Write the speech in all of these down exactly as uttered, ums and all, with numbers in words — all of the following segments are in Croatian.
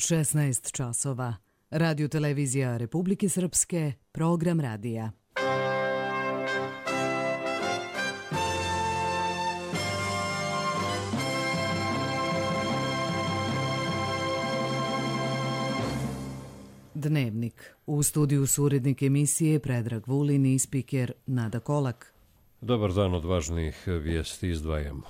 šesnaest časova. Radio televizija Republike Srpske, program radija. Dnevnik. U studiju su urednik emisije Predrag Vulin i spiker Nada Kolak. Dobar dan, od važnih vijesti izdvajamo.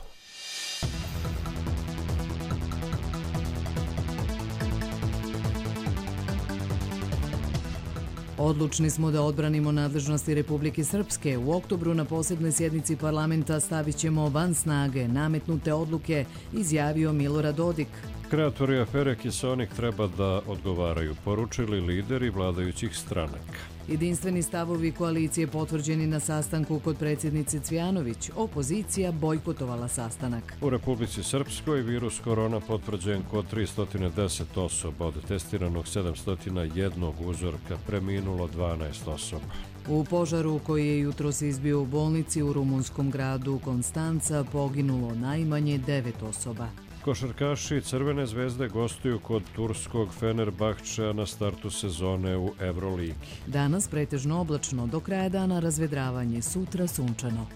Odlučni smo da odbranimo nadležnosti Republike Srpske. U oktobru na posebnoj sjednici parlamenta stavit ćemo van snage nametnute odluke, izjavio Milorad Dodik. Kreatori afere Kiseonik treba da odgovaraju, poručili lideri vladajućih stranaka. Jedinstveni stavovi koalicije potvrđeni na sastanku kod predsjednice Cvjanović. Opozicija bojkotovala sastanak. U Republici Srpskoj virus korona potvrđen kod tristo deset osoba, od testiranog sedamsto jedan uzorka preminulo dvanaest osoba. U požaru koji je jutros izbio u bolnici u rumunskom gradu Konstanca poginulo najmanje devet osoba. Košarkaši Crvene zvezde gostuju kod turskog Fenerbahčea na startu sezone u Euroligi. Danas pretežno oblačno, do kraja dana razvedravanje, sutra sunčano.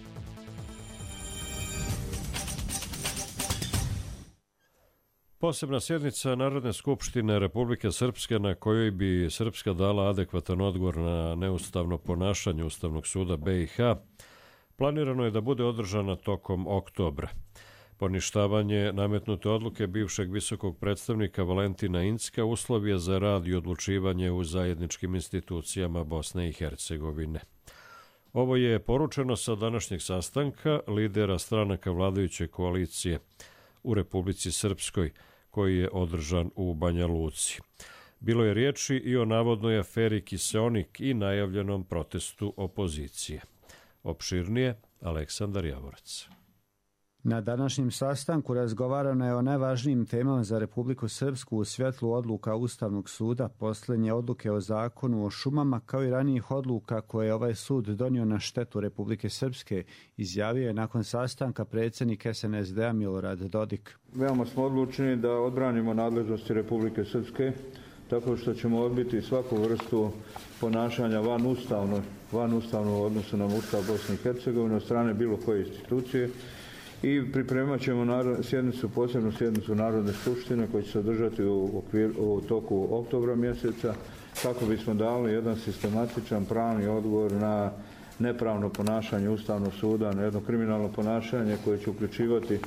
Posebna sjednica Narodne skupštine Republike Srpske na kojoj bi Srpska dala adekvatan odgovor na neustavno ponašanje Ustavnog suda B i H planirano je da bude održana tokom oktobra. Poništavanje nametnute odluke bivšeg visokog predstavnika Valentina Incka uslov je za rad i odlučivanje u zajedničkim institucijama Bosne i Hercegovine. Ovo je poručeno sa današnjeg sastanka lidera stranaka vladajuće koalicije u Republici Srpskoj, koji je održan u Banja Luci. Bilo je riječi i o navodnoj aferi Kiseonik i najavljenom protestu opozicije. Opširnije, Aleksandar Javorac. Na današnjem sastanku razgovarano je o najvažnijim temama za Republiku Srpsku u svjetlu odluka Ustavnog suda, posljednje odluke o zakonu o šumama, kao i ranijih odluka koje je ovaj sud donio na štetu Republike Srpske, izjavio je nakon sastanka predsjednik S N S D-a Milorad Dodik. Veoma smo odlučni da odbranimo nadležnosti Republike Srpske, tako što ćemo odbiti svaku vrstu ponašanja van ustavno, van ustavno u odnosu na Ustav Bosne i Hercegovine od strane bilo koje institucije. I pripremat ćemo sjednicu, posebnu sjednicu Narodne skupštine koja će se održati u, okvir, u toku oktobra mjeseca, kako bismo dali jedan sistematičan pravni odgovor na nepravno ponašanje Ustavnog suda, na jedno kriminalno ponašanje koje će uključivati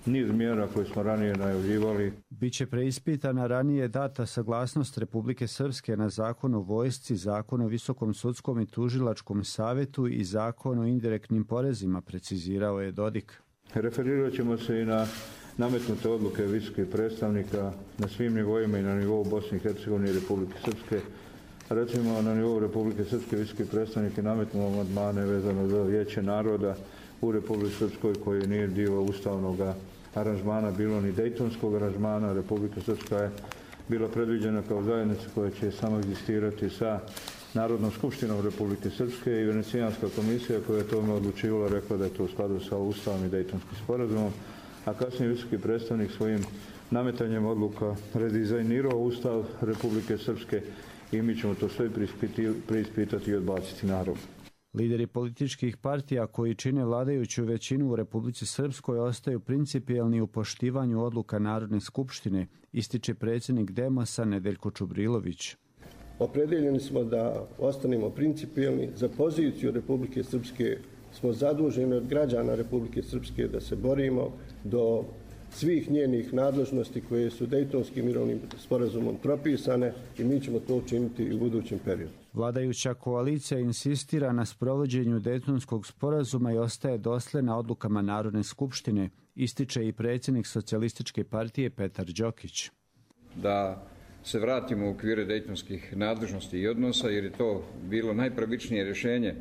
niz mjera koje smo ranije najavljivali. Biće preispitana ranije data saglasnost Republike Srpske na zakon o vojsci, zakon o visokom sudskom i tužilačkom savjetu i zakon o indirektnim porezima, precizirao je Dodik. Referirat ćemo se i na nametnute odluke visokih predstavnika na svim nivoima i na nivou Bosne i Hercegovine i Republike Srpske. Recimo, na nivou Republike Srpske visoki predstavnike nametnuo amandmane vezano za Vijeće naroda u Republike Srpskoj koji nije dio ustavnog aranžmana, bilo ni Dejtonskog aranžmana. Republika Srpska je bila predviđena kao zajednica koja će samo egzistirati sa Narodnom skupštinom Republike Srpske i Venecijanska komisija koja je tome odlučivala rekla da je to u skladu sa Ustavom i Dejtonskim sporazumom, a kasnije visoki predstavnik svojim nametanjem odluka redizajnirao Ustav Republike Srpske i mi ćemo to sve preispitati i odbaciti narod. Lideri političkih partija koji čine vladajuću većinu u Republici Srpskoj ostaju principijelni u poštivanju odluka Narodne skupštine, ističe predsjednik Demosa Nedeljko Čubrilović. Opredeljeni smo da ostanemo principijelni. Za poziciju Republike Srpske smo zaduženi od građana Republike Srpske da se borimo do svih njenih nadležnosti koje su Dejtonskim mirovnim sporazumom propisane i mi ćemo to učiniti i u budućem periodu. Vladajuća koalicija insistira na sprovođenju Dejtonskog sporazuma i ostaje dosljedna odlukama Narodne skupštine, ističe i predsjednik Socijalističke partije Petar Đokić. Da se vratimo u okvire dejtonskih nadležnosti i odnosa, jer je to bilo najpravičnije rješenje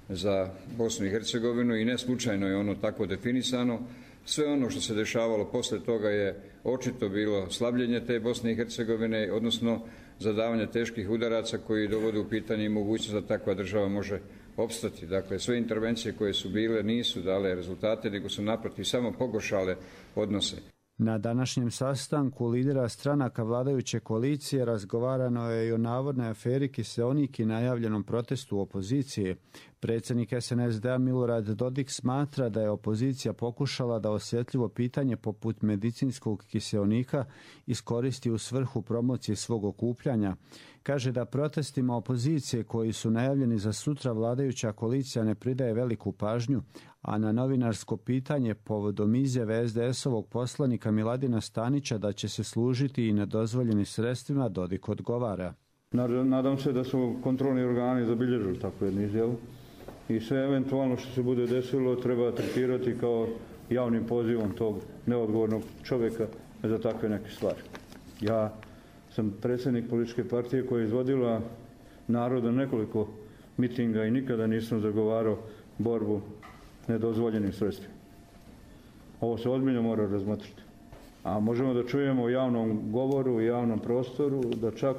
za Bosnu i Hercegovinu i ne slučajno je ono tako definisano. Sve ono što se dešavalo posle toga je očito bilo slabljenje te Bosne i Hercegovine, odnosno zadavanje teških udaraca koji dovode u pitanje i mogućnost da takva država može opstati. Dakle, sve intervencije koje su bile nisu dale rezultate, nego su naprotiv samo pogoršale odnose. Na današnjem sastanku lidera stranaka vladajuće koalicije razgovarano je i o navodnoj aferi Kiseonik i najavljenom protestu opozicije. Predsjednik es en es de-a Milorad Dodik smatra da je opozicija pokušala da osjetljivo pitanje poput medicinskog kiseonika iskoristi u svrhu promocije svog okupljanja. Kaže da protestima opozicije koji su najavljeni za sutra vladajuća koalicija ne pridaje veliku pažnju, a na novinarsko pitanje povodom izjave es de es-ovog poslanika Miladina Stanića da će se služiti i nedozvoljenim sredstvima, Dodik odgovara. Nadam se da su kontrolni organi zabilježili takvu jednu izjavu i sve eventualno što se bude desilo treba tretirati kao javnim pozivom tog neodgovornog čovjeka za takve neke stvari. Ja sam predsjednik političke partije koja je izvodila naroda nekoliko mitinga i nikada nisam zagovarao borbu nedozvoljenim sredstvima. Ovo se ozbiljno mora razmotriti. A možemo da čujemo u javnom govoru, u javnom prostoru, da čak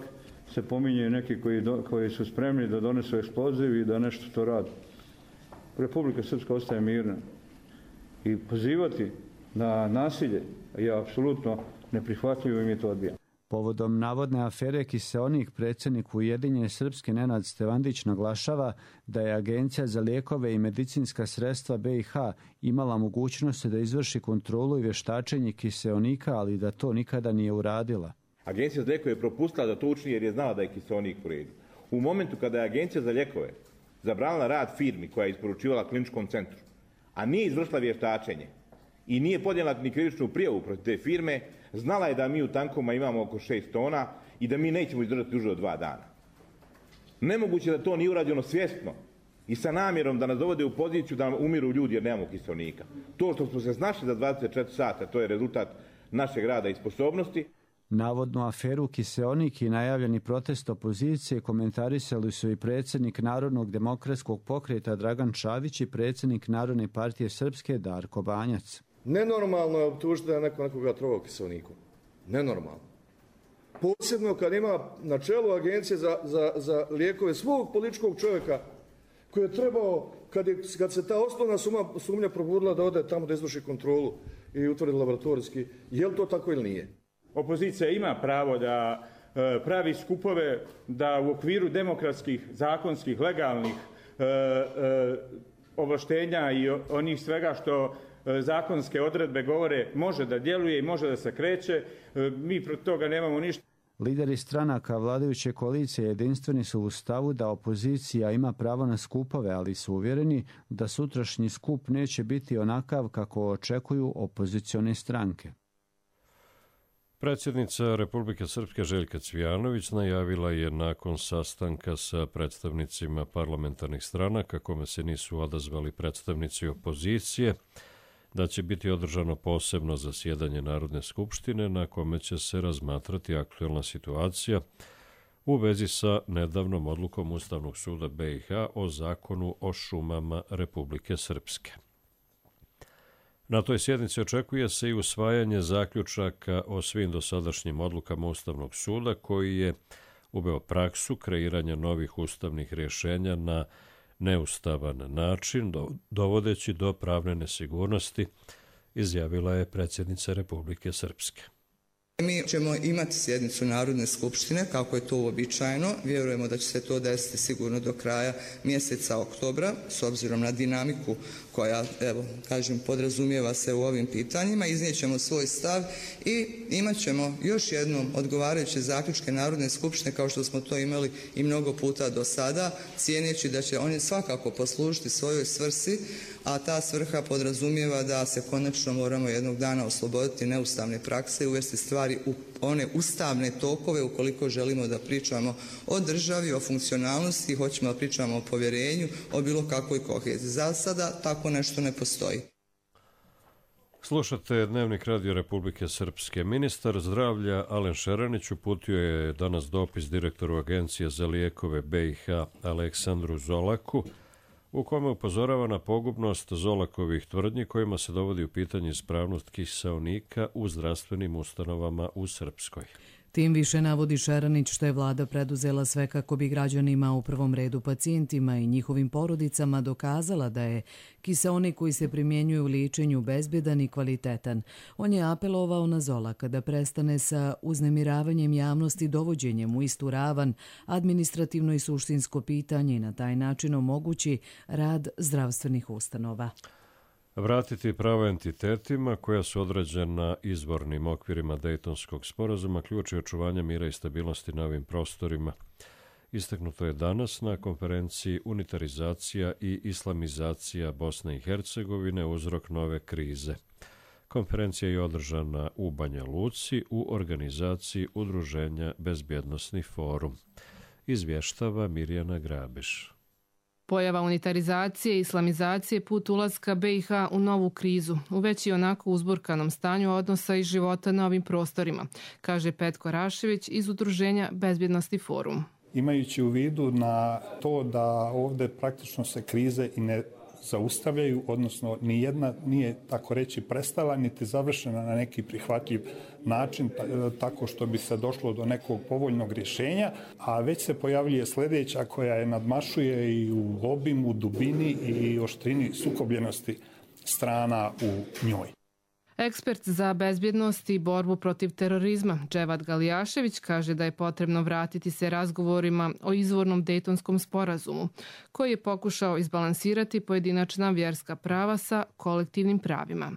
se pominje neki koji, do, koji su spremni da donesu eksploziv i da nešto to radi. Republika Srpska ostaje mirna. I pozivati na nasilje je apsolutno neprihvatljivo i mi to odbijamo. Povodom navodne afere Kiseonik, predsjednik Ujedinjene Srpske Nenad Stevandić naglašava da je Agencija za lijekove i medicinska sredstva be i ha imala mogućnost da izvrši kontrolu i vještačenje kiseonika, ali da to nikada nije uradila. Agencija za lijekove je propustila da to učini jer je znala da je kiseonik u redu. U momentu kada je Agencija za lijekove zabranila rad firmi koja je isporučivala kliničkom centru, a nije izvršila vještačenje i nije podnijela ni krivičnu prijavu protiv te firme, znala je da mi u tankoma imamo oko šest tona i da mi nećemo izdržati duže od dva dana. Nemoguće da to nije urađeno svjesno i sa namjerom da nas dovode u poziciju da umiru ljudi jer nemamo kiseonika. To što smo se snašli za dvadeset četiri sata, to je rezultat našeg rada i sposobnosti. Navodnu aferu Kiseonik i najavljeni protest opozicije komentarisali su i predsjednik Narodnog demokratskog pokreta Dragan Čavić i predsjednik Narodne partije Srpske Darko Banjac. Nenormalno je optužiti da je neko nekoga trovao kiseonikom. Nenormalno. Posebno kad ima na čelu agencije za, za, za lijekove svog političkog čovjeka koji je trebao, kad, je, kad se ta osnovna suma, sumnja probudila da ode tamo da izvrši kontrolu i utvrdi laboratorijski, je li to tako ili nije? Opozicija ima pravo da e, pravi skupove, da u okviru demokratskih, zakonskih, legalnih e, e, ovlaštenja i onih svega što e, zakonske odredbe govore može da djeluje i može da se kreće. E, mi protiv toga nemamo ništa. Lideri stranaka vladajuće koalicije jedinstveni su u stavu da opozicija ima pravo na skupove, ali su uvjereni da sutrašnji skup neće biti onakav kako očekuju opozicione stranke. Predsjednica Republike Srpske Željka Cvijanović najavila je nakon sastanka sa predstavnicima parlamentarnih stranaka, kome se nisu odazvali predstavnici opozicije, da će biti održano posebno zasjedanje Narodne skupštine na kome će se razmatrati aktuelna situacija u vezi sa nedavnom odlukom Ustavnog suda be i ha o zakonu o šumama Republike Srpske. Na toj sjednici očekuje se i usvajanje zaključaka o svim dosadašnjim odlukama Ustavnog suda koji je uveo praksu kreiranja novih ustavnih rješenja na neustavan način, dovodeći do pravne nesigurnosti, izjavila je predsjednica Republike Srpske. Mi ćemo imati sjednicu Narodne skupštine, kako je to uobičajeno. Vjerujemo da će se to desiti sigurno do kraja mjeseca oktobra, s obzirom na dinamiku koja, evo, kažem, podrazumijeva se u ovim pitanjima. Iznijet ćemo svoj stav i imat ćemo još jednom odgovarajuće zaključke Narodne skupštine, kao što smo to imali i mnogo puta do sada, cijeneći da će oni svakako poslužiti svojoj svrsi, a ta svrha podrazumijeva da se konačno moramo jednog dana osloboditi neustavne prakse i uvesti stvari u one ustavne tokove ukoliko želimo da pričamo o državi, o funkcionalnosti, hoćemo da pričamo o povjerenju, o bilo kakvoj koheziji. Za sada tako nešto ne postoji. Slušate Dnevnik Radio Republike Srpske. Ministar zdravlja Alen Šeranić uputio je danas dopis direktoru Agencije za lijekove be i ha Aleksandru Zolaku, u kome upozorava na pogubnost Zolakovih tvrdnji kojima se dovodi u pitanje ispravnost kiseonika u zdravstvenim ustanovama u Srpskoj. Tim više navodi Šeranić što je vlada preduzela sve kako bi građanima, u prvom redu pacijentima i njihovim porodicama, dokazala da je kiseonik koji se primjenjuje u liječenju bezbjedan i kvalitetan. On je apelovao na Zolaka da prestane sa uznemiravanjem javnosti dovođenjem u istu ravan administrativno i suštinsko pitanje i na taj način omogući rad zdravstvenih ustanova. Vratiti prava entitetima koja su određena izvornim okvirima Dejtonskog sporazuma ključ je očuvanja mira i stabilnosti na ovim prostorima. Istaknuto je danas na konferenciji Unitarizacija i islamizacija Bosne i Hercegovine, uzrok nove krize. Konferencija je održana u Banja Luci u organizaciji Udruženja Bezbjednosni forum. Izvještava Mirjana Grabiš. Pojava unitarizacije i islamizacije put ulaska be i ha u novu krizu, u već i onako uzburkanom stanju odnosa i života na ovim prostorima, kaže Petko Rašević iz Udruženja Bezbjednosti forum. Imajući u vidu na to da ovdje praktično se krize i ne zaustavljaju, odnosno ni jedna nije, tako reći, prestala, niti završena na neki prihvatljiv način, tako što bi se došlo do nekog povoljnog rješenja, a već se pojavljuje sljedeća koja je nadmašuje i u obimu, dubini i oštrini sukobljenosti strana u njoj. Ekspert za bezbjednost i borbu protiv terorizma Dževad Galijašević kaže da je potrebno vratiti se razgovorima o izvornom Dejtonskom sporazumu, koji je pokušao izbalansirati pojedinačna vjerska prava sa kolektivnim pravima.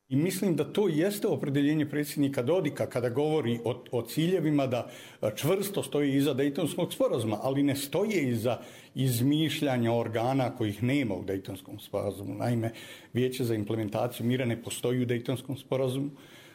I mislim da to jeste opredjeljenje predsjednika Dodika kada govori o, o ciljevima da čvrsto stoji iza Dejtonskog sporazuma, ali ne stoje iza izmišljanja organa kojih nema u Dejtonskom sporazumu. Naime, Vijeće za implementaciju mira ne postoji u Dejtonskom sporazumu.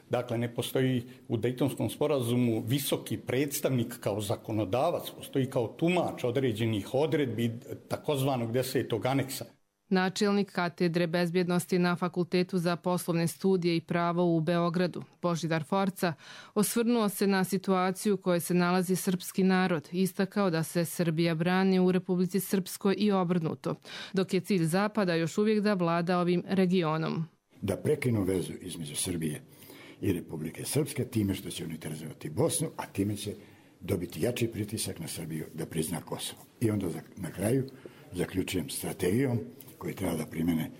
Dakle, ne postoji u Dejtonskom sporazumu visoki predstavnik kao zakonodavac, postoji kao tumač određenih odredbi takozvanog desetog aneksa. Načelnik katedre bezbjednosti na Fakultetu za poslovne studije i pravo u Beogradu, Božidar Forca, osvrnuo se na situaciju u kojoj se nalazi srpski narod, istakao da se Srbija brani u Republici Srpskoj i obrnuto, dok je cilj Zapada još uvijek da vlada ovim regionom. Da prekinu vezu između Srbije i Republike Srpske time što će unitarizovati Bosnu, a time će dobiti jači pritisak na Srbiju da prizna Kosovo. I onda na kraju zaključujem strategijom koji treba da primene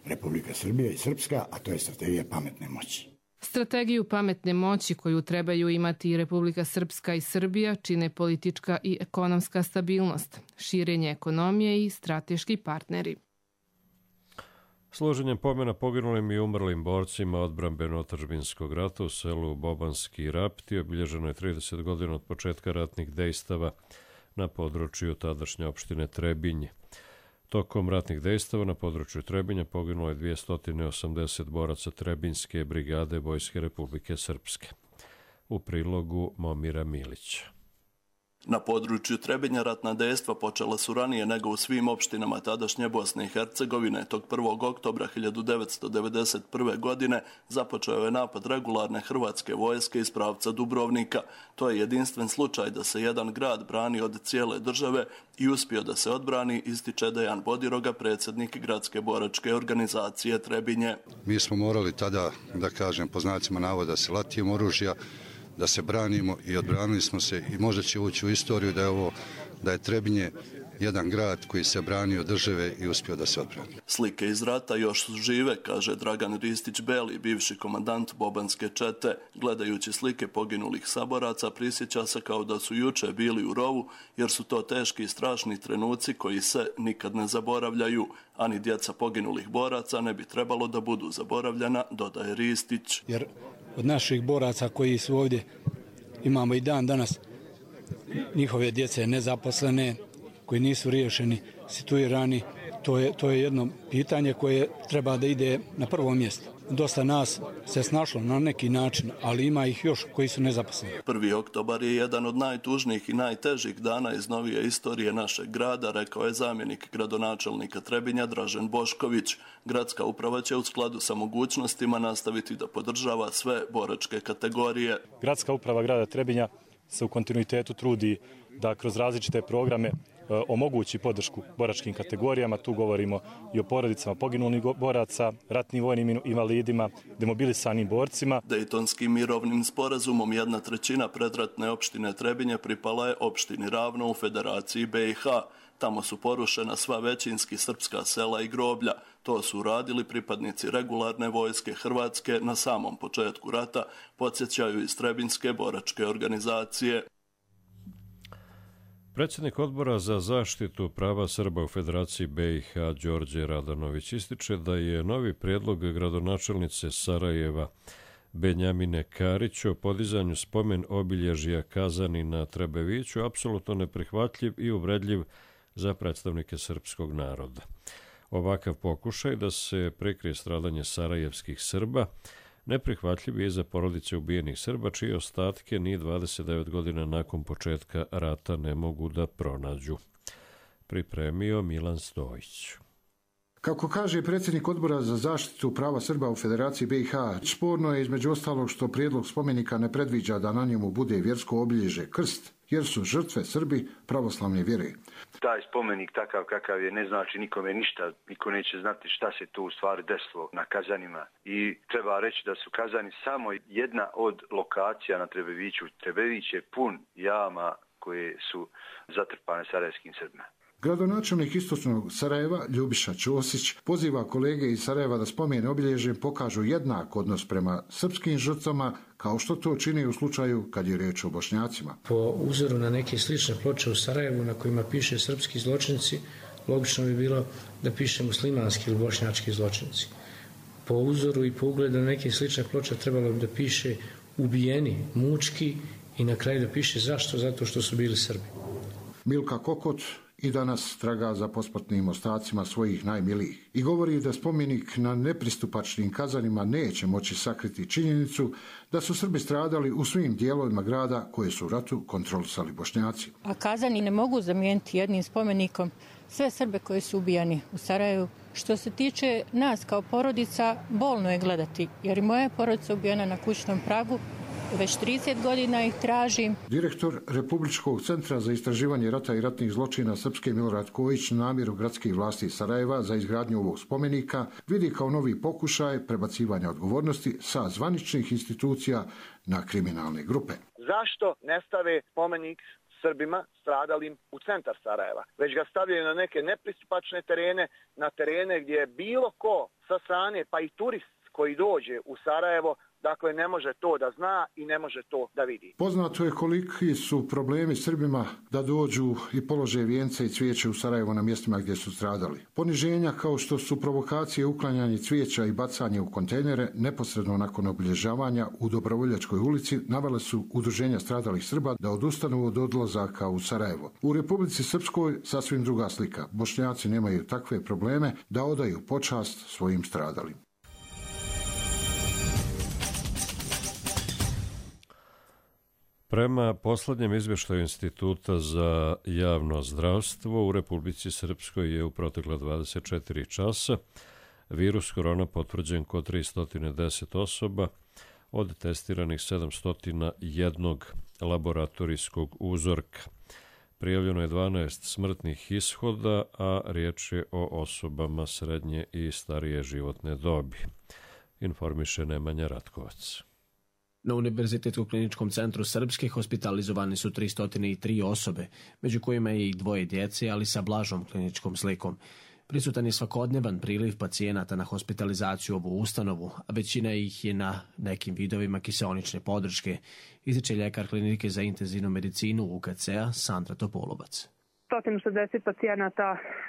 Republika Srbija i Srpska, a to je strategija pametne moći. Strategiju pametne moći koju trebaju imati i Republika Srpska i Srbija čine politička i ekonomska stabilnost, širenje ekonomije i strateški partneri. Složenjem pomena poginulim i umrlim borcima odbrambeno-otadžbinskog rata u selu Bobanski Rapti obilježeno je trideset godina od početka ratnih dejstava na području tadašnje opštine Trebinje. Tokom ratnih dejstava na području Trebinja poginulo je dvjesto osamdeset boraca Trebinjske brigade Vojske Republike Srpske. U prilogu Momira Milića. Na području Trebinja ratna dejstva počela su ranije nego u svim opštinama tadašnje Bosne i Hercegovine. Tog prvog oktobra hiljadu devetsto devedeset prve. godine započeo je napad regularne hrvatske vojske iz pravca Dubrovnika. To je jedinstven slučaj da se jedan grad brani od cijele države i uspio da se odbrani, ističe Dejan Bodiroga, predsjednik gradske boračke organizacije Trebinje. Mi smo morali tada, da kažem, po znacima navoda se latijem oružja, da se branimo i odbranili smo se i možda će ući u istoriju da je ovo, da je Trebinje jedan grad koji se branio države i uspio da se odbrani. Slike iz rata još su žive, kaže Dragan Ristić-Beli, bivši komandant Bobanske čete. Gledajući slike poginulih saboraca, prisjeća se kao da su juče bili u rovu, jer su to teški i strašni trenuci koji se nikad ne zaboravljaju. Ani djeca poginulih boraca ne bi trebalo da budu zaboravljena, dodaje Ristić. Jer od naših boraca koji su ovdje imamo i dan danas njihove djece nezaposlene, koji nisu riješeni, situirani, to je, to je jedno pitanje koje treba da ide na prvo mjesto. Dosta nas se snašlo na neki način, ali ima ih još koji su nezaposleni. Prvi oktobar je jedan od najtužnijih i najtežih dana iz novije istorije našeg grada, rekao je zamjenik gradonačelnika Trebinja Dražen Bošković. Gradska uprava će u skladu sa mogućnostima nastaviti da podržava sve boračke kategorije. Gradska uprava grada Trebinja se u kontinuitetu trudi da kroz različite programe omogući podršku boračkim kategorijama. Tu govorimo i o porodicama poginulih boraca, ratnim vojnim invalidima, demobilisanim borcima. Dejtonskim mirovnim sporazumom jedna trećina predratne opštine Trebinje pripala je opštini Ravno u Federaciji be i ha. Tamo su porušena sva većinski srpska sela i groblja. To su uradili pripadnici regularne vojske Hrvatske na samom početku rata, podsjećaju iz Trebinjske boračke organizacije. Predsjednik Odbora za zaštitu prava Srba u Federaciji be i ha Đorđe Radanović ističe da je novi prijedlog gradonačelnice Sarajeva Benjamine Karić o podizanju spomen obilježja kazani na Trebeviću apsolutno neprihvatljiv i uvredljiv za predstavnike srpskog naroda. Ovakav pokušaj da se prekrije stradanje sarajevskih Srba neprihvatljiv je za porodice ubijenih Srba, čije ostatke ni dvadeset devet godina nakon početka rata ne mogu da pronađu. Pripremio Milan Stojić. Kako kaže predsjednik Odbora za zaštitu prava Srba u Federaciji be i ha, sporno je između ostalog što prijedlog spomenika ne predviđa da na njemu bude vjersko obilježje krst, jer su žrtve Srbi pravoslavne vjere. Taj spomenik takav kakav je ne znači nikome ništa, niko neće znati šta se tu u stvari desilo na Kazanima. I treba reći da su Kazani samo jedna od lokacija na Trebeviću. Trebević je pun jama koje su zatrpane sarajevskim Srbima. Gradonačelnik istočnog Sarajeva, Ljubiša Ćosić, poziva kolege iz Sarajeva da spomen obilježjem pokažu jednak odnos prema srpskim žrtvama, kao što to čini u slučaju kad je riječ o Bošnjacima. Po uzoru na neke slične ploče u Sarajevu na kojima piše srpski zločinci, logično bi bilo da piše muslimanski ili bošnjački zločinci. Po uzoru i po ugledu na neke slične ploče trebalo bi da piše ubijeni, mučki i na kraju da piše zašto, zato što su bili Srbi. Milka Kokot i danas traga za posmrtnim ostacima svojih najmilijih i govori da spomenik na nepristupačnim Kazanima neće moći sakriti činjenicu da su Srbi stradali u svim dijelovima grada koje su u ratu kontrolisali Bošnjaci. A Kazani ne mogu zamijeniti jednim spomenikom sve Srbe koji su ubijani u Sarajevu. Što se tiče nas kao porodica, bolno je gledati, jer i moja porodica ubijena na kućnom pragu. Već trideset godina ih tražim. Direktor Republičkog centra za istraživanje rata i ratnih zločina Srpske Milorad Kojić namjeru gradskih vlasti Sarajeva za izgradnju ovog spomenika vidi kao novi pokušaj prebacivanja odgovornosti sa zvaničnih institucija na kriminalne grupe. Zašto ne stave spomenik Srbima stradalim u centar Sarajeva, već ga stavljaju na neke nepristupačne terene, na terene gdje bilo ko sa strane, pa i turist koji dođe u Sarajevo, dakle ne može to da zna i ne može to da vidi. Poznato je koliki su problemi Srbima da dođu i polože vijence i cvijeće u Sarajevo na mjestima gdje su stradali. Poniženja kao što su provokacije, uklanjanje cvijeća i bacanje u kontejnere neposredno nakon obilježavanja u Dobrovoljačkoj ulici navele su udruženja stradalih Srba da odustanu od odlazaka u Sarajevo. U Republici Srpskoj sasvim druga slika. Bošnjaci nemaju takve probleme da odaju počast svojim stradalim. Prema poslednjem izvještaju Instituta za javno zdravstvo u Republici Srpskoj je u protekla dvadeset četiri časa virus korona potvrđen kod tristo deset osoba od testiranih sedamsto jedan laboratorijskog uzorka. Prijavljeno je dvanaest smrtnih ishoda, a riječ je o osobama srednje i starije životne dobi. Informiše Nemanja Ratkovac. Na Univerzitetskom kliničkom centru Srpske hospitalizovane su tristo tri osobe, među kojima je i dvoje djece, ali sa blažom kliničkom slikom. Prisutan je svakodnevan priliv pacijenata na hospitalizaciju u ovu ustanovu, a većina ih je na nekim vidovima kiseonične podrške, ističe ljekar klinike za intenzivnu medicinu U K C-a Sandra Topolovac. sto šezdeset pacijenata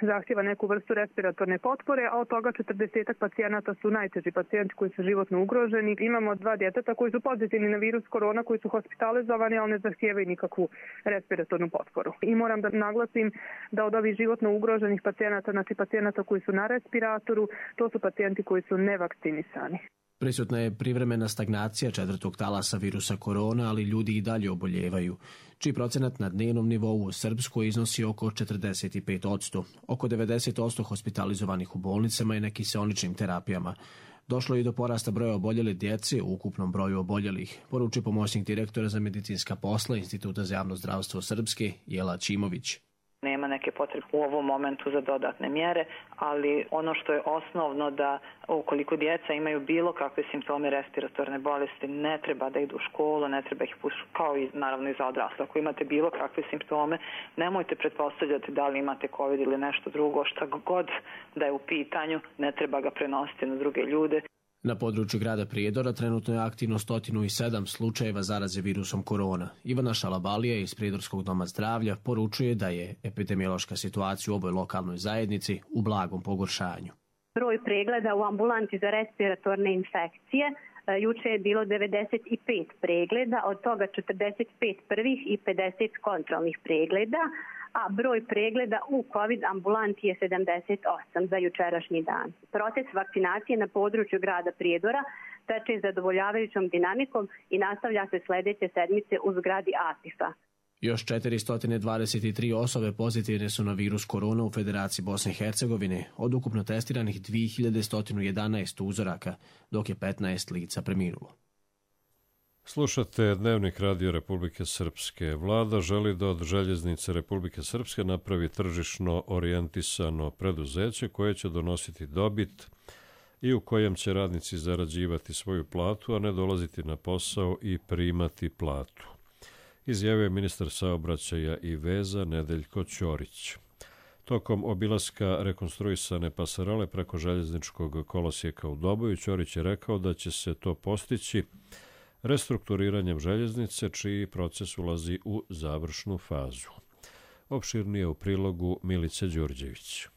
zahtjeva neku vrstu respiratorne potpore, a od toga četrdeset pacijenata su najteži pacijenti koji su životno ugroženi. Imamo dva djeteta koji su pozitivni na virus korona, koji su hospitalizovani, ali ne zahtijevaju nikakvu respiratornu potporu. I moram da naglasim da od ovih životno ugroženih pacijenata, znači pacijenata koji su na respiratoru, to su pacijenti koji su nevakcinisani. Prisutna je privremena stagnacija četvrtog talasa virusa korona, ali ljudi i dalje oboljevaju, čiji procenat na dnevnom nivou u Srpskoj iznosi oko četrdeset pet posto. Oko devedeset posto hospitalizovanih u bolnicama i na kiseoničnim terapijama. Došlo je i do porasta broja oboljele djece u ukupnom broju oboljelih, poručuje pomoćnik direktora za medicinska posla Instituta za javno zdravstvo Srpske Jela Čimović. Nema nema neke potrebe u ovom momentu za dodatne mjere, ali ono što je osnovno da ukoliko djeca imaju bilo kakve simptome respiratorne bolesti, ne treba da idu u školu, ne treba ih pušiti, kao i naravno i za odrasle. Ako imate bilo kakve simptome, nemojte pretpostavljati da li imate COVID ili nešto drugo, šta god da je u pitanju, ne treba ga prenositi na druge ljude. Na području grada Prijedora trenutno je aktivno sto sedam slučajeva zaraze virusom korona. Ivana Šalabalija iz Prijedorskog doma zdravlja poručuje da je epidemiološka situacija u ovoj lokalnoj zajednici u blagom pogoršanju. Broj pregleda u ambulanti za respiratorne infekcije juče je bilo devedeset pet pregleda, od toga četrdeset pet prvih i pedeset kontrolnih pregleda, a broj pregleda u COVID ambulanti je sedamdeset osam za jučerašnji dan. Proces vakcinacije na području grada Prijedora teče zadovoljavajućom dinamikom i nastavlja se sljedeće sedmice u zgradi A P I F-a. Još četiristo dvadeset tri osobe pozitivne su na virus korona u Federaciji Bosne i Hercegovine, od ukupno testiranih dvije hiljade sto jedanaest uzoraka, dok je petnaest lica preminulo. Slušate Dnevnik Radio Republike Srpske. Vlada želi da od Željeznice Republike Srpske napravi tržišno orijentisano preduzeće koje će donositi dobit i u kojem će radnici zarađivati svoju platu, a ne dolaziti na posao i primati platu, izjavio je ministar saobraćaja i veza Nedeljko Ćorić. Tokom obilaska rekonstruisane pasarele preko željezničkog kolosijeka u Doboju, Ćorić je rekao da će se to postići restrukturiranjem željeznice, čiji proces ulazi u završnu fazu. Opširnije u prilogu Milice Đurđević.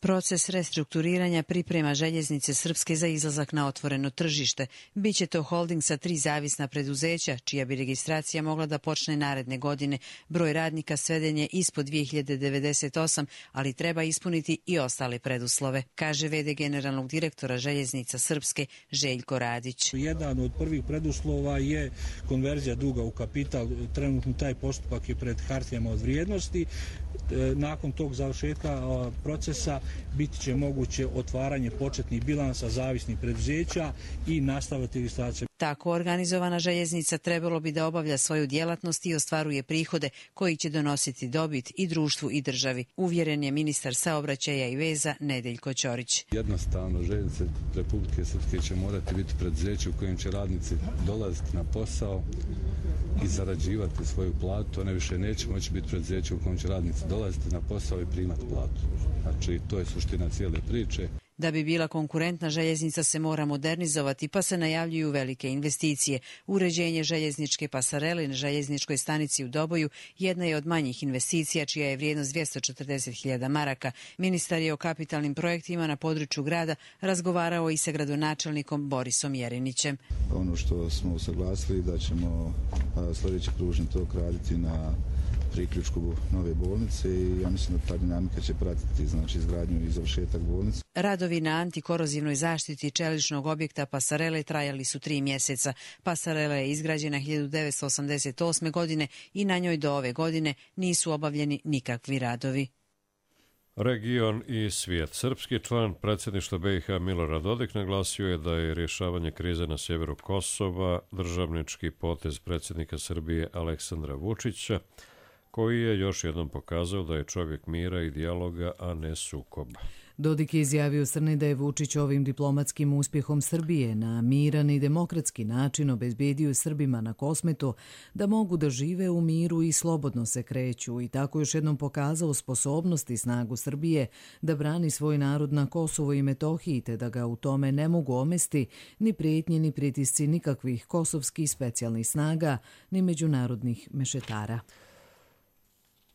Proces restrukturiranja priprema Željeznice Srpske za izlazak na otvoreno tržište. Biće to holding sa tri zavisna preduzeća, čija bi registracija mogla da počne naredne godine. Broj radnika sveden je ispod dvije hiljade devedeset osam, ali treba ispuniti i ostale preduslove, kaže ve de generalnog direktora Željeznica Srpske Željko Radić. Jedan od prvih preduslova je konverzija duga u kapital. Trenutno taj postupak je pred hartijama od vrijednosti. Nakon tog završetka procesa biti će moguće otvaranje početnih bilansa zavisnih preduzeća i nastaviti registracija. Tako organizovana željeznica trebalo bi da obavlja svoju djelatnost i ostvaruje prihode koji će donositi dobit i društvu i državi, uvjeren je ministar saobraćaja i veza Nedeljko Ćorić. Jednostavno, Željeznice Republike Srpske će morati biti preduzeće u kojem će radnici dolaziti na posao i zarađivati svoju platu. One više neće moći biti preduzeće u kojem će radnici dolaziti na posao i primati platu. Znači, to je suština cijele priče. Da bi bila konkurentna, željeznica se mora modernizovati, pa se najavljuju velike investicije. Uređenje željezničke pasarele na željezničkoj stanici u Doboju jedna je od manjih investicija, čija je vrijednost dvjesto četrdeset hiljada maraka. Ministar je o kapitalnim projektima na području grada razgovarao i sa gradonačelnikom Borisom Jerinićem. Ono što smo usaglasili da ćemo sljedeći pružni tok raditi na priključku nove bolnice i ja mislim da ta dinamika će pratiti znači izgradnju i završetak bolnice. Radovi na antikorozivnoj zaštiti čeličnog objekta pasarele trajali su tri mjeseca. Pasarela je izgrađena hiljadu devetsto osamdeset osme. godine i na njoj do ove godine nisu obavljeni nikakvi radovi. Region i svijet. Srpski član predsjedništva be i ha Milorad Dodik naglasio je da je rješavanje krize na sjeveru Kosova državnički potez predsjednika Srbije Aleksandra Vučića, koji je još jednom pokazao da je čovjek mira i dijaloga, a ne sukoba. Dodik je izjavio Srni da je Vučić ovim diplomatskim uspjehom Srbije na miran i demokratski način obezbedio Srbima na Kosmetu da mogu da žive u miru i slobodno se kreću i tako još jednom pokazao sposobnost i snagu Srbije da brani svoj narod na Kosovo i Metohiji te da ga u tome ne mogu omesti ni prijetnje ni pritisci nikakvih kosovskih specijalnih snaga ni međunarodnih mešetara.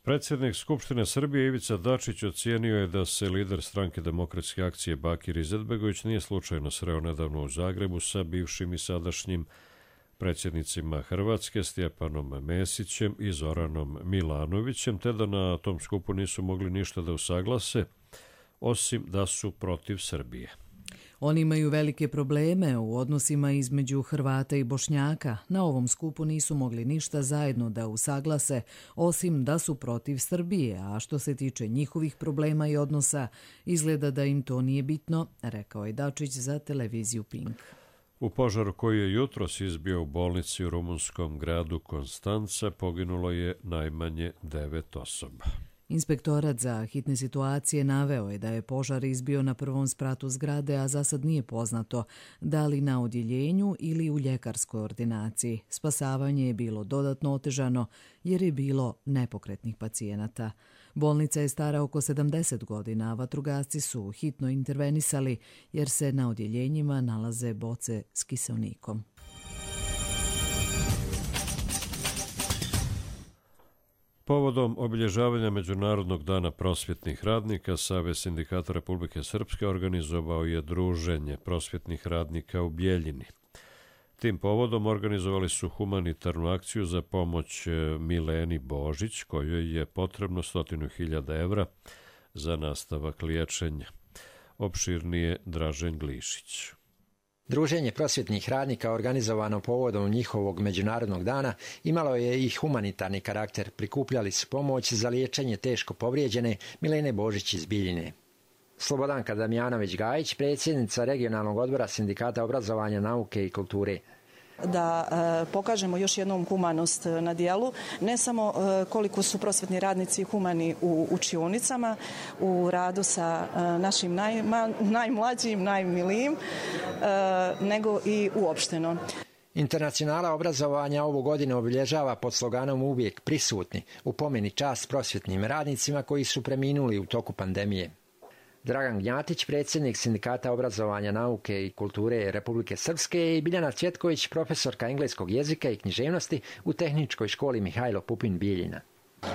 Predsjednik Skupštine Srbije Ivica Dačić ocijenio je da se lider stranke Demokratske akcije Bakir Izetbegović nije slučajno sreo nedavno u Zagrebu sa bivšim i sadašnjim predsjednicima Hrvatske Stjepanom Mesićem i Zoranom Milanovićem, te da na tom skupu nisu mogli ništa da usaglase, osim da su protiv Srbije. Oni imaju velike probleme u odnosima između Hrvata i Bošnjaka. Na ovom skupu nisu mogli ništa zajedno da usaglase, osim da su protiv Srbije, a što se tiče njihovih problema i odnosa, izgleda da im to nije bitno, rekao je Dačić za televiziju Pink. U požaru koji je jutros izbio u bolnici u rumunskom gradu Konstanca poginulo je najmanje devet osoba. Inspektorat za hitne situacije naveo je da je požar izbio na prvom spratu zgrade, a za sad nije poznato da li na odjeljenju ili u ljekarskoj ordinaciji. Spasavanje je bilo dodatno otežano jer je bilo nepokretnih pacijenata. Bolnica je stara oko sedamdeset godina, a vatrogasci su hitno intervenisali jer se na odjeljenjima nalaze boce s kiseonikom. Povodom obilježavanja Međunarodnog dana prosvjetnih radnika, Savez sindikata Republike Srpske organizovao je druženje prosvjetnih radnika u Bjeljini. Tim povodom organizovali su humanitarnu akciju za pomoć Mileni Božić, kojoj je potrebno stotinu hiljada evra za nastavak liječenja. Opširnije Dražen Glišić. Druženje prosvjetnih radnika organizovano povodom njihovog Međunarodnog dana imalo je i humanitarni karakter. Prikupljali su pomoć za liječenje teško povrijeđene Milene Božić iz Biljine. Slobodanka Damjanović-Gajić, predsjednica regionalnog odbora Sindikata obrazovanja, nauke i kulture. Da e, pokažemo još jednom humanost na dijelu, ne samo e, koliko su prosvjetni radnici humani u učionicama, u radu sa e, našim najma, najmlađim, najmilijim, e, nego i uopšteno. Internacionala obrazovanja ovu godinu obilježava pod sloganom Uvijek prisutni, u pomeni čast prosvjetnim radnicima koji su preminuli u toku pandemije. Dragan Gnjatić, predsjednik Sindikata obrazovanja, nauke i kulture Republike Srpske, i Biljana Cvjetković, profesorka engleskog jezika i književnosti u Tehničkoj školi Mihajlo Pupin Bijeljina.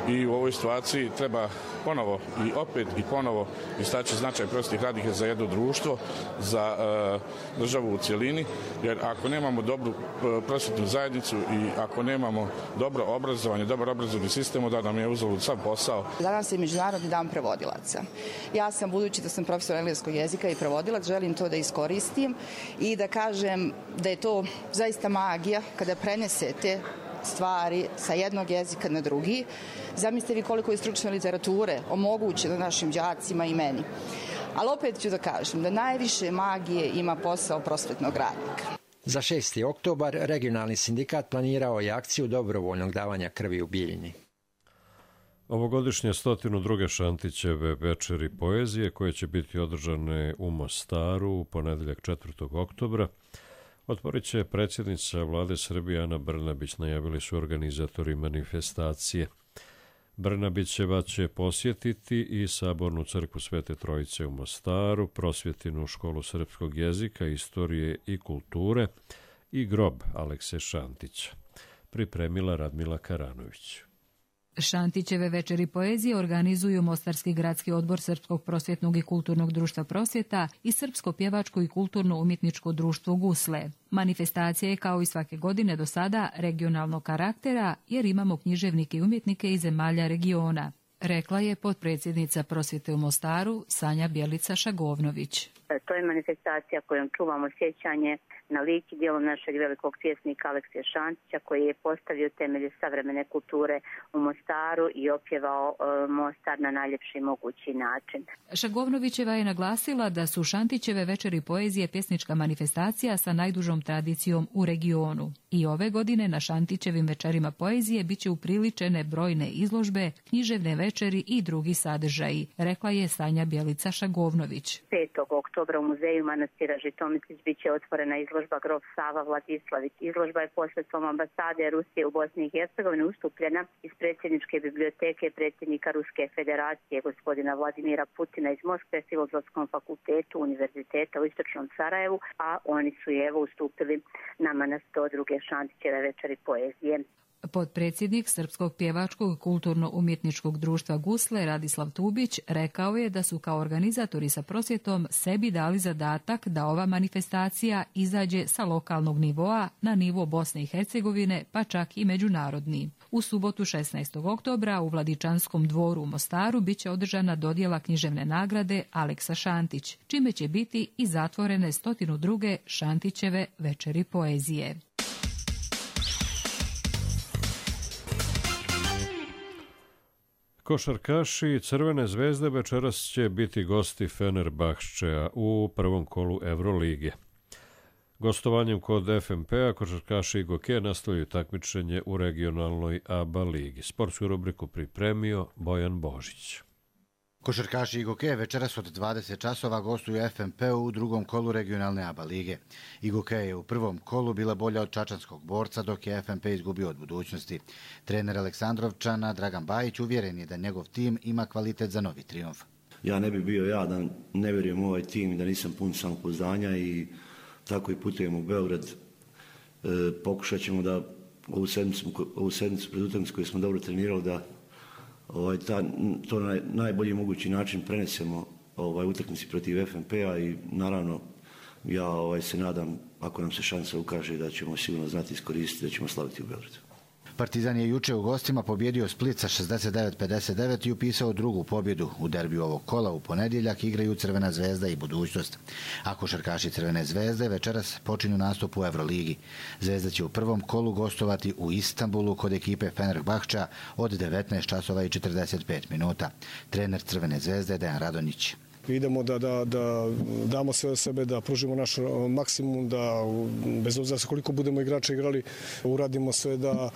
I u ovoj situaciji treba ponovo i opet i ponovo istaći značaj prosvjetnih radnika za jedno društvo, za e, državu u cjelini, jer ako nemamo dobru e, prosvjetnu zajednicu i ako nemamo dobro obrazovanje, dobar obrazovni sistem, da nam je uzalud sav posao. Danas je Međunarodni dan prevodilaca. Ja sam, budući da sam profesor engleskog jezika i prevodilac, želim to da iskoristim i da kažem da je to zaista magija kada prenesete stvari sa jednog jezika na drugi. Zamislite vi koliko je stručne literature omogućeno našim đacima i meni. Ali opet ću da kažem da najviše magije ima posao prosvetnog radnika. Za šesti oktobar regionalni sindikat planirao je akciju dobrovoljnog davanja krvi u Bijeljini. Ovogodišnje stotinu druge Šantićeve večeri poezije, koje će biti održane u Mostaru u ponedeljak četvrtog oktobra, otvorit će predsjednica vlade Srbije Ana Brnabić, najavili su organizatori manifestacije. Brnabićeva će posjetiti i Sabornu crkvu Svete Trojice u Mostaru, Prosvjetinu školu srpskog jezika, istorije i kulture i grob Alekse Šantića. Pripremila Radmila Karanović. Šantićeve večeri poezije organizuju Mostarski gradski odbor Srpskog prosvjetnog i kulturnog društva Prosvjeta i Srpsko pjevačko i kulturno-umjetničko društvo Gusle. Manifestacija je kao i svake godine do sada regionalnog karaktera jer imamo književnike i umjetnike iz zemalja regiona, rekla je potpredsjednica Prosvjete u Mostaru Sanja Bjelica-Šagovnović. To je manifestacija kojom čuvamo sjećanje na lik i djelo našeg velikog pjesnika Alekse Šantića, koji je postavio temelje savremene kulture u Mostaru i opjevao uh, Mostar na najljepši mogući način. Šagovnovićeva je naglasila da su Šantićeve večeri poezije pjesnička manifestacija sa najdužom tradicijom u regionu. I ove godine na Šantićevim večerima poezije biće upriličene brojne izložbe, književne večeri i drugi sadržaji, rekla je Sanja Bjelica-Šagovnović. petog oktobra u muzeju manastira Žitomislić biće otvorena izložba Grof Sava Vladislavić. Izložba je posredstvom ambasade Rusije u Bosni i Hercegovini ustupljena iz predsjedničke biblioteke predsjednika Ruske federacije gospodina Vladimira Putina iz Moskve, Filozofskom fakultetu Univerziteta u Istočnom Sarajevu, a oni su je evo ustupili nama na sto druge Šantićeve večeri poezije. Potpredsjednik Srpskog pjevačkog kulturno-umjetničkog društva Gusle Radislav Tubić rekao je da su kao organizatori sa prosvjetom sebi dali zadatak da ova manifestacija izađe sa lokalnog nivoa na nivo Bosne i Hercegovine, pa čak i međunarodni. U subotu šesnaestog oktobra u Vladičanskom dvoru u Mostaru biće održana dodjela književne nagrade Aleksa Šantić, čime će biti i zatvorene stotinu druge Šantićeve večeri poezije. Košarkaši Crvene zvezde večeras će biti gosti Fenerbahčea u prvom kolu Evrolige. Gostovanjem kod F M P-a košarkaši Igoke nastavljaju takmičenje u regionalnoj A B A ligi. Sportsku rubriku pripremio Bojan Božić. Košarkaši Igoke večeras od dvadeset časova gostuju F M P-u u drugom kolu regionalne A B A lige. Igoke je u prvom kolu bila bolja od čačanskog borca, dok je F M P izgubio od budućnosti. Trener Aleksandrovčana Dragan Bajić uvjeren je da njegov tim ima kvalitet za novi trijumf. Ja ne bi bio ja da ne vjerujem u ovaj tim i da nisam pun samopouzdanja i tako i putujemo u Beograd. E, pokušat ćemo da ovu sedmicu, ovu sedmicu pred utakmicu koju smo dobro trenirali da ovaj, ta, to na najbolji mogući način prenesemo ovaj, utakmici protiv F M P-a i naravno ja ovaj, se nadam ako nam se šansa ukaže da ćemo sigurno znati iskoristiti da ćemo slaviti u Beogradu. Partizan je juče u gostima pobjedio Split sa šezdeset devet pedeset devet i upisao drugu pobjedu. U derbiju ovog kola u ponedjeljak igraju Crvena zvezda i Budućnost. A košarkaši Crvene zvezde večeras počinju nastup u Euroligi. Zvezda će u prvom kolu gostovati u Istanbulu kod ekipe Fenerbahča od devetnaest časova i četrdeset pet minuta. Trener Crvene zvezde Dejan Radonjić. Idemo da, da, da damo sve od sebe, da pružimo naš maksimum, da bez obzira sa koliko budemo igrača igrali, uradimo sve da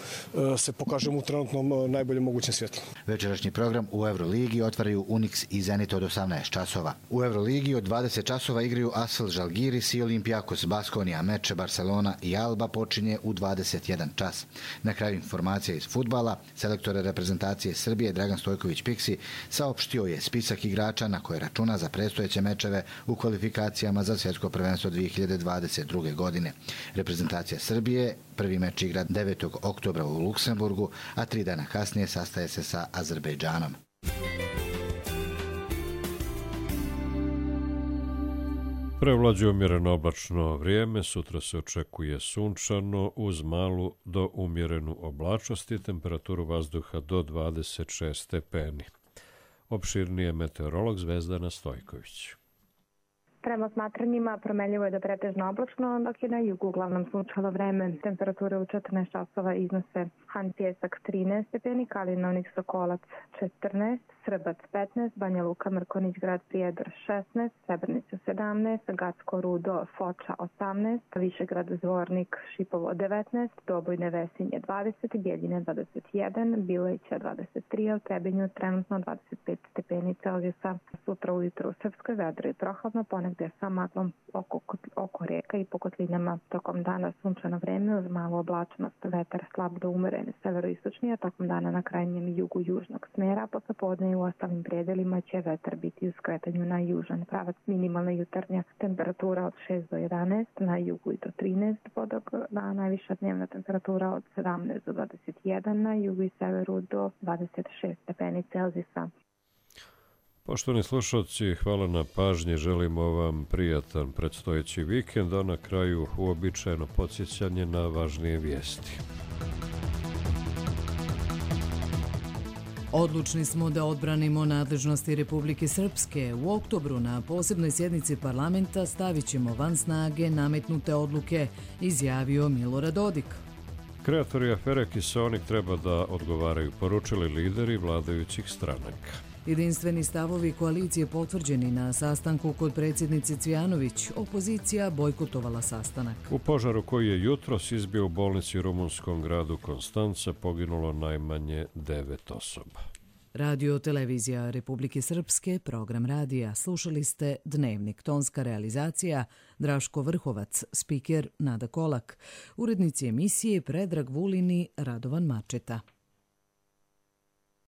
se pokažemo u trenutnom najboljem mogućem svjetlu. Večerašnji program u Euroligi otvaraju Unix i Zenit od osamnaest časova. U Euroligi od dvadeset časova igraju Asvel Žalgiris i Olimpijakos Baskonija. Meč Barcelona i Alba počinje u dvadeset jedan čas. Na kraju informacija iz fudbala, selektor reprezentacije Srbije Dragan Stojković Piksi saopštio je spisak igrača na koje računa za predstojeće mečeve u kvalifikacijama za svjetsko prvenstvo dvije hiljade dvadeset druge. godine. Reprezentacija Srbije prvi meč igra devetog oktobra u Luksemburgu, a tri dana kasnije sastaje se sa Azerbejdžanom. Prevlađuje umjereno oblačno vrijeme, sutra se očekuje sunčano uz malu do umjerenu oblačnost i temperaturu vazduha do dvadeset šest stepeni. Opširnije meteorolog Zvezdana Stojković. Prema smatranjima promenljivo je da pretežno oblačno, dok je na jugu uglavnom sunčalo vreme. Temperature u četrnaest časova iznose Han Pjesak trinaest stepeni, Kalinovnik Sokolac četrnaest, Srbac petnaest, Banja Luka Mrkonić Grad Prijedor šesnaest, Srebrenica sedamnaest, Gacko Rudo Foča osamnaest, Višegrad Zvornik Šipovo devetnaest, Doboj Nevesinje dvadeset, Bjeljine dvadeset jedan, Bileća dvadeset tri, a u Trebinju trenutno dvadeset pet stepeni Celzijusa. Sutra ujutro u Srpskoj vedro i prohladno, ponegde sa maglom oko, oko reka i po kotlinama. Tokom dana sunčano vreme uz malu oblačnost, vetar slab do umeren severoistočni, a tokom dana na krajnjem jugu južnog smera, posle podne i u ostalim predelima će vetar biti u skretanju na južan pravac. Minimalna jutarnja temperatura od šest do jedanaest, na jugu i do trinaest, podok na najviša dnevna temperatura od sedamnaest do dvadeset jedan, na jugu i severu do dvadeset šest stepeni Celzijusa. Poštovani slušalci, hvala na pažnji, želimo vam prijatan predstojeći vikend, a na kraju uobičajeno podsjećanje na važnije vijesti. Odlučni smo da odbranimo nadležnosti Republike Srpske. U oktobru na posebnoj sjednici parlamenta stavit ćemo van snage nametnute odluke, izjavio Milorad Dodik. Kreatori afere Kiseonik treba da odgovaraju, poručili lideri vladajućih stranaka. Jedinstveni stavovi koalicije potvrđeni na sastanku kod predsjednice Cvijanović. Opozicija bojkotovala sastanak. U požaru koji je jutros izbio u bolnici u rumunskom gradu Konstanca poginulo najmanje devet osoba. Radio televizija Republike Srpske, program radija. Slušali ste Dnevnik, tonska realizacija Draško Vrhovac, spiker Nada Kolak, urednici emisije Predrag Vulin i Radovan Mačeta.